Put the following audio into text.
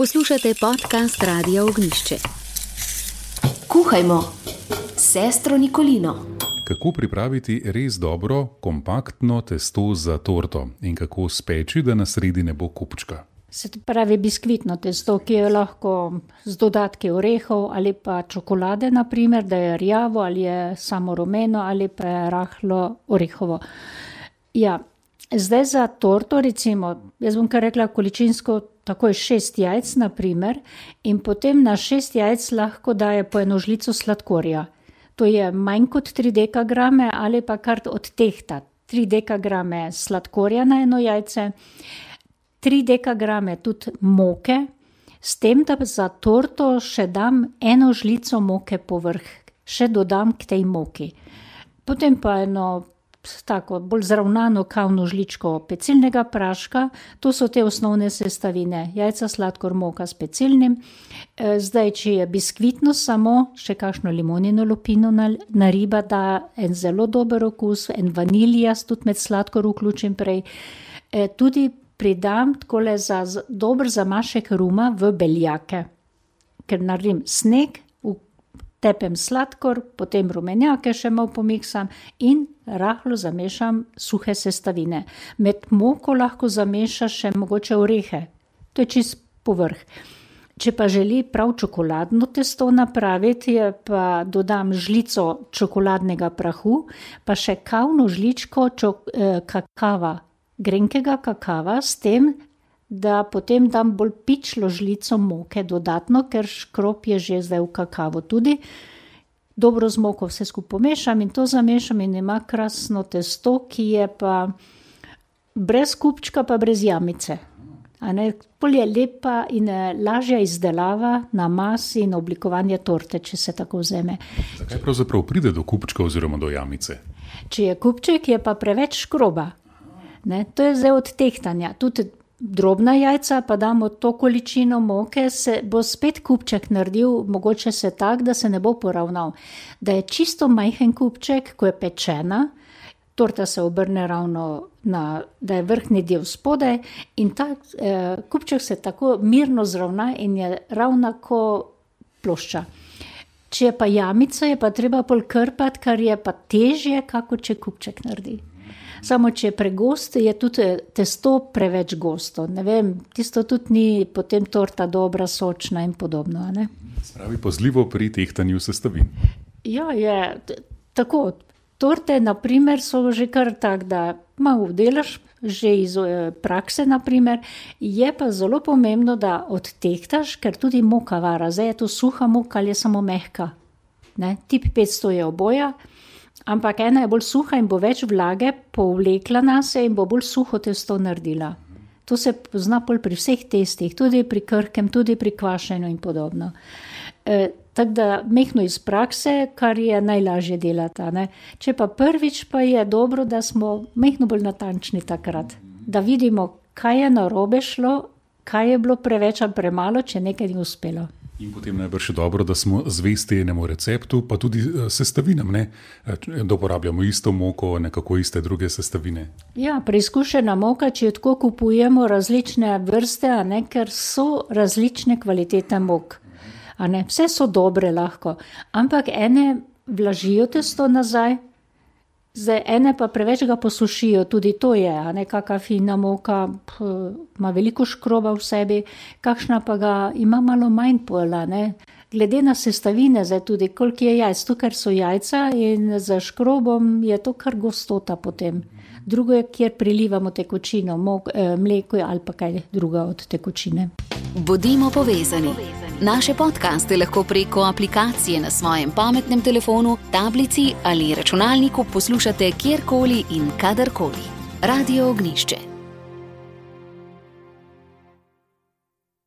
Poslušate podcast Radia Ognjišče. Kuhajmo s sestro Nikolino. Kako pripraviti res dobro, kompaktno testo za torto in kako speči, da na sredi ne bo kupčka? Se pravi biskvitno testo, ki je lahko z dodatki orehov ali pa čokolade, naprimer, da je rjavo ali je samo rumeno ali pa je rahlo orehovo. Ja, zdaj za torto recimo, jaz bom kar rekla količinsko, takoj 6 jajc naprimer in potem na 6 jajc lahko daje po eno žlico sladkorja. To je manj kot 3 dekagrame ali pa kar odtehta 3 dekagrame sladkorja na eno jajce, 3 dekagrame tudi moke, s tem, da za torto še dam eno žlico moke povrh, še dodam k tej moki. Potem pa eno tako bolj zravnano kavno žličko pecilnega praška, to so te osnovne sestavine, jajca, sladkor, moka s pecilnim. Zdaj, če je biskvitno samo, še kakšno limonino lupino nariba, da en zelo dober okus, en vanilijas, tudi med sladkor vključim prej. Tudi pridam takole za dober zamašek ruma v beljake, ker naredim sneg, tepem sladkor, potem rumenjake še malo pomiksam in rahlo zamešam suhe sestavine. Med moko lahko zamešaš še mogoče orehe, to je čist povrh. Če pa želi prav čokoladno testo napraviti, pa dodam žlico čokoladnega prahu, pa še kavno žličko kakava, grenkega kakava, s tem, da potem dam bolj pičlo žlico moke dodatno, ker škrob je že zdaj v kakavo tudi. Dobro z moko vse skupaj pomešam in to zamešam in ima krasno testo, ki je pa brez kupčka pa brez jamice. Bolj je lepa in lažja izdelava na masi in oblikovanje torte, če se tako vzeme. Zakaj pravzaprav pride do kupčka oziroma do jamice? Če je kupček, je pa preveč škroba. To je zdaj od tehtanja. Tudi drobna jajca, pa damo to količino moke, se bo spet kupček naredil, mogoče se tak, da se ne bo poravnal. Da je čisto majhen kupček, ko je pečena, torta se obrne ravno, da je vrhnji del spodaj in ta kupček se tako mirno zravna in je ravna ko plošča. Če je pa jamica, je pa treba pol krpati, kar je pa težje, kako če kupček naredi. Samo, če je pregosto, je tudi testo preveč gosto. Ne vem, tisto tudi ni potem torta dobra, sočna in podobno. Spravi pazljivo pri tehtanju sestavin. Ja, je tako. Torte, naprimer, so že kar tak, da malo delaš, že iz prakse, naprimer. Je pa zelo pomembno, da odtehtaš, ker tudi moka vara. Zdaj je to suha moka ali je samo mehka. Tip 500 je oboja. Ampak ena je bolj suha in bo več vlage povlekla nase in bo bolj suho testo naredila. To se pozna pri vseh testih, tudi pri krhkem, tudi pri kvašenju in podobno. Tako da mehno iz prakse, kar je najlažje delati. Če pa prvič, pa je dobro, da smo mehno bolj natančni takrat. Da vidimo, kaj je narobe šlo, kaj je bilo preveč ali premalo, če nekaj ni uspelo. In potem najbrž je dobro, da smo zvesti enemu receptu, pa tudi sestavinam, da uporabljamo isto moko, nekako iste druge sestavine. Ja, preizkušena moka, če jo tako kupujemo različne vrste, ker so različne kvalitete mok. Vse so dobre lahko, ampak ene vlažijo testo nazaj, zdaj ene pa preveč ga posušijo, tudi to je, kakšna fina moka ima veliko škroba v sebi, kakšna pa ga ima malo manj pola, Glede na sestavine, zdaj tudi koliko je jajc, to ker so jajca in za škrobom je to kar gostota potem. Drugo je, kjer prilivamo tekočino, mleko ali pa kaj druga od tekočine. Bodimo povezani. Naše podcaste lahko preko aplikacije na svojem pametnem telefonu, tablici ali računalniku poslušate kjerkoli in kadarkoli. Radio Ognjišče.